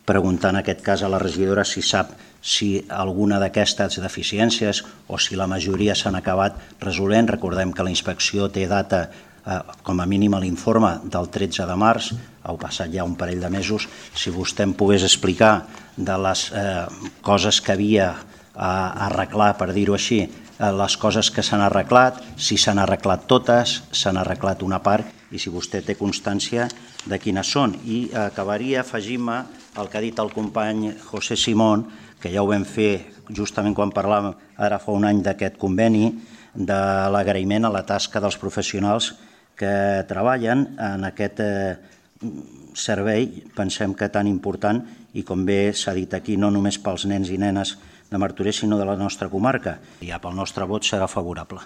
preguntar en aquest cas a la regidora si sap si alguna d'aquestes deficiències o si la majoria s'han acabat resolent. Recordem que la inspecció té data, com a mínim a l'informe, del 13 de març, ha passat ja un parell de mesos. Si vostè em pogués explicar de les coses que havia a arreglar, per dir-ho així, les coses que s'han arreglat, si s'han arreglat totes, s'han arreglat una part i si vostè té constància de quines són. I acabaria afegint-me el que ha dit el company José Simón, que ja ho vam fer justament quan parlàvem ara fa un any d'aquest conveni, de l'agraïment a la tasca dels professionals que treballen en aquest servei, pensem que tan important i com bé s'ha dit aquí, no només pels nens i nenes de Martorell, sinó de la nostra comarca. I pel nostre vot serà favorable.